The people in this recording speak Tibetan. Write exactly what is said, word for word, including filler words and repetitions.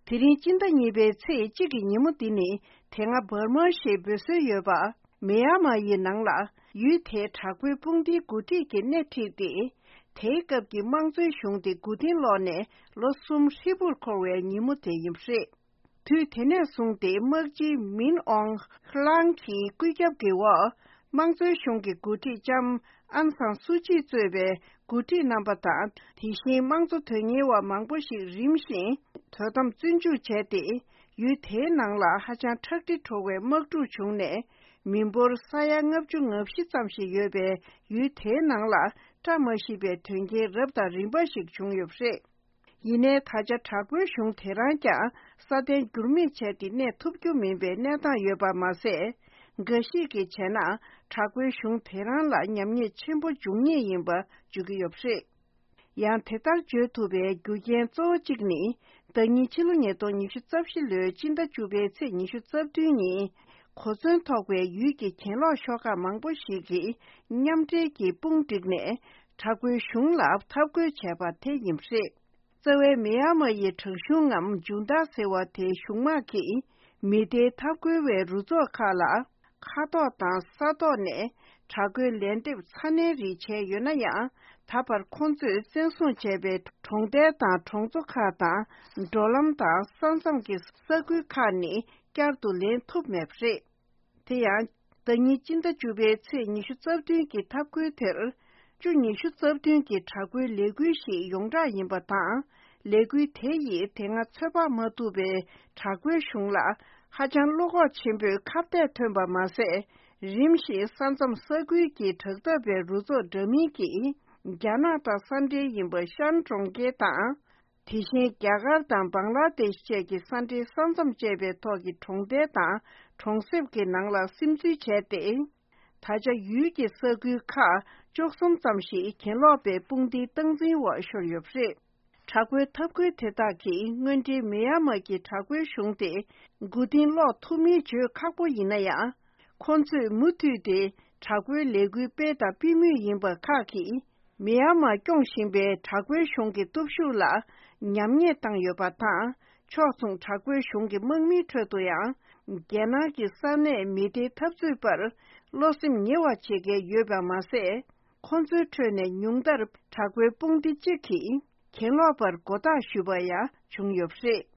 དེ་རིང་སྤྱི་ཟླ་གཉིས་པའི་ཚེས་གཅིག་གི་ཉིན་མོ་འདི་ནི་དེ་སྔ་འབར་མ་ཞེས་འབོད་སྲོལ་ཡོད་པ། མེ་ཡར་མ་ཡི་ནང་ལ་ཡུལ་དེའི་དྲག་པོའི་དཔུང་སྡེའི་འགོ་ཁྲིད་ཀྱིས་སྣེ་ཁྲིད་དེ། དེའི་སྐབས་ཀྱི་དམངས་གཙོའི་གཞུང་དེ་མགོ་རྟིང་སློག་ནས་ལོ་གསུམ་ཧྲིལ་པོར་འཁོར་བའི་ཉིན་མོ་དེ་ཡིན་པ་རེད། དུས་དེ་ནས་བཟུང་སྟེ་དམག་སྤྱི་མིན་ཨོང་ཧྲི་ལང་གི་བཀོད་ཁྱབ་ཀྱི་འོག་དམངས་གཙོའི་གཞུང་གི་འགོ་ཁྲིད་ལྕམ་ཨན་སང་སུ་ཅི་གཙོས་པའི་འགོ་ཁྲིད་རྣམ་པ་དང་། དེ་བཞིན་དམངས་གཙོ་དོན་གཉེར་བ་མང་པོ་ཞིག་རིམ་བཞིན་དོ་དམ་བཙོན་འཇུག་བྱས་ཏེ། ཡུལ་དེའི་ནང་ལ་ཧ་ཅང་ཁྲག་དྲི་བྲོ་བའི་དམག་འཁྲུག་བྱུང་ནས། མི་འབོར་ས་ཡ་ལྔ་བཅུ་ང་བཞི་ཙམ་ཞིག་ཡོད་པའི་ཡུལ་དེའི་ནང་ལ་བཀྲ་མ་ཤིས་པའི་དོན་རྐྱེན་རབ་དང་རིམ་པ་ཞིག་བྱུང་ཡོད་པ་རེད། ཡིན་ནའི་ད་ཆ་དྲག་པོའི་གཞུང་དེ་རང་ཀྱང་སྲ་བརྟན་འགྱུར་མེད་བྱས་ཏེ་གནས་ཐུབ་རྒྱུ་མིན་པའི་གནས་སྟངས་ཡོད་པ་མ་ཟད། འགའ་ཞིག་གིས་བྱས་ན་དྲག་པོའི་གཞུང་དེ་རང་ལ་ཉམས་ཉེས་ཆེན་པོ་འབྱུང་ངེས་ཡིན་པ་བརྗོད་ཀྱི་ཡོད་པ་རེད། ཡང་དེ་ལྟར་བརྗོད་ཐུབ་པའི་རྒྱུ་རྐྱེན་གཙོ་བོ་གཅིག་ནི། ཟླ་ཉིན་ཕྱི་ལོ་ཉིས་སྟོང་ཉི་ཤུ་རྩ་བཞི་ལོའི་སྤྱི་ཟླ་བཅུ་པའི་ཚེས་ཉི་ཤུ་རྩ་བདུན་ཉིན། གོ་མཚོན་ཐོགས་པའི་ཡུལ་གྱི་གྱེན་ལོག་ཤོག་ཁག་མང་པོ་ཞིག་གིས་མཉམ་འབྲེལ་གྱིས་དཔུང་བསྒྲིགས་ནས། དྲག་པོའི་གཞུང་ལ་འཐབ་རྒོལ་བྱས་པ་དེ་ཡིན་པ་རེད། རྩ་བའི་མི་ཡ་མ་ཡི་དྲག་གཞུང་ངམ་ཇུན་ཏཱ་ཟེར་བ་དེའི་གཞུང་དམག་གིས་མི་སྡེའི་འཐབ་རྒོལ་བའི་རུ་ཚོགས་ཁག་ལ་མཁའ་ཐོག་དང་ས་ཐོག་ནས་དྲག་རྒོལ་ལན་འདེབས་ཚ་ནན་རིགས་བྱས་ཡོད་ན་ཡང་། ད་བར་ཁོང་ཚོས་བཙན་བཟུང་བྱས་པའི་གྲོང་རྡལ་དང་གྲོང་ཚོ་ཁག་དང་། འགྲོ་ལམ་དང་ས་མཚམས་ཀྱི་ས་ཁུལ་ཁག་ནི་བསྐྱར་དུ་ལེན་ཐུབ་མེད་པ་རེད། དེ་ཡང་། ཟླ་ཉིན་སྤྱི་ཟླ་བཅུ་པའི་ཚེས་ཉི་ཤུ་རྩ་བདུན་གྱི་འཐབ་རྒོལ་དེར། བཅུ་ཉི་ཤུ་རྩ་བདུན་གྱི་དྲག་པོའི་ལས་འགུལ་ཞིག་ཡོངས་གྲགས་ཡིན་པ་དང་། ལས་འགུལ་དེ་ཡིས་དེ་སྔ་ཚོད་དཔག་མ་ཐུབ་པའི་དྲག་པོའི་གཞུང་ལ་ཧ་ཅང་བློ་ཁོག་ཆེན་པོས་ཁ་གཏད་ཐོན་པ་མ་ཟད། རིམ་བཞིན་ས་མཚམས་ས་ཁུལ་གྱི་དྲག་འཐབ་པའི་རུ་ཚོགས་འདྲ་མིན་གྱིས་རྒྱ་ནག་དང་ས་འབྲེལ་ཡིན་པ་ཤན་གྲོང་ཁྱེར་དང་། དེ་བཞིན་རྒྱ་གར་དང་བང་ལ་དེཤ་བཅས་ཀྱི་ས་འབྲེལ་ས་མཚམས་བཅད་པའི་ཐོག་གི་གྲོང་རྡལ་དང་གྲོང་གསེབ་ཀྱི་ནང་ལ་སིམ་འཛུལ་བྱས་ཏེ། ད་ཆ་ཡུལ་གྱི་ས་ཁུལ་ཁག་བཅུ་གསུམ་ཙམ་ཞིག་གྱེན་ལོག་པའི་དཔུང་སྡེའི་སྟངས་འཛིན་འོག་ཤོར་ཡོད་པ་རེད། དྲག་པོའི་འཐབ་རྒོལ་དེ་དག་གིས་དངོས་འབྲེལ་མི་ཡ་མ་གི་དྲག་པོའི་གཞུང་དེ་མགོ་རྟིང་སློག་ཐུབ་མིན་བརྗོད་ཁག་པོ་ཡིན་ན་ཡང་། ཁོང་ཚོས་མུ་མཐུད་དེ་དྲག་པོའི་ལས་འགུལ་སྤེལ་དང་སྤེལ་མུས་ཡིན་པ་ཁག་གིས། མི་ཡ་མ་སྐྱོང་བཞིན་པའི་དྲག་པོའི་གཞུང་གི་སྟོབས་ཤུགས་ལ་ཉམས་ཉེས་བཏང་ཡོད་པ་དང་། ཕྱོགས་མཚུངས་དྲག་པོའི་གཞུང་གི་དམག་མིའི་ཁྲོད་དུ་ཡང་། རྒྱལ་ནང་གི་ས་གནས་མི་སྡེའི་འཐབ་རྩོད་པར་བློ་སེམས་ཉེ་བ་བྱེད་མཁན་ཡོད་པ་མ་ཟད། ཁོང་ཚོའི་ཁྲོད་ནས་ཉུང་མཐར་དྲག་པོའི་དཔུང་སྡེ་གཅིག་གིས་གྱེན་ལོག་པར་མགོ་བཏགས་ཞུས་པ་ཡང་བྱུང་ཡོད་པ་རེད།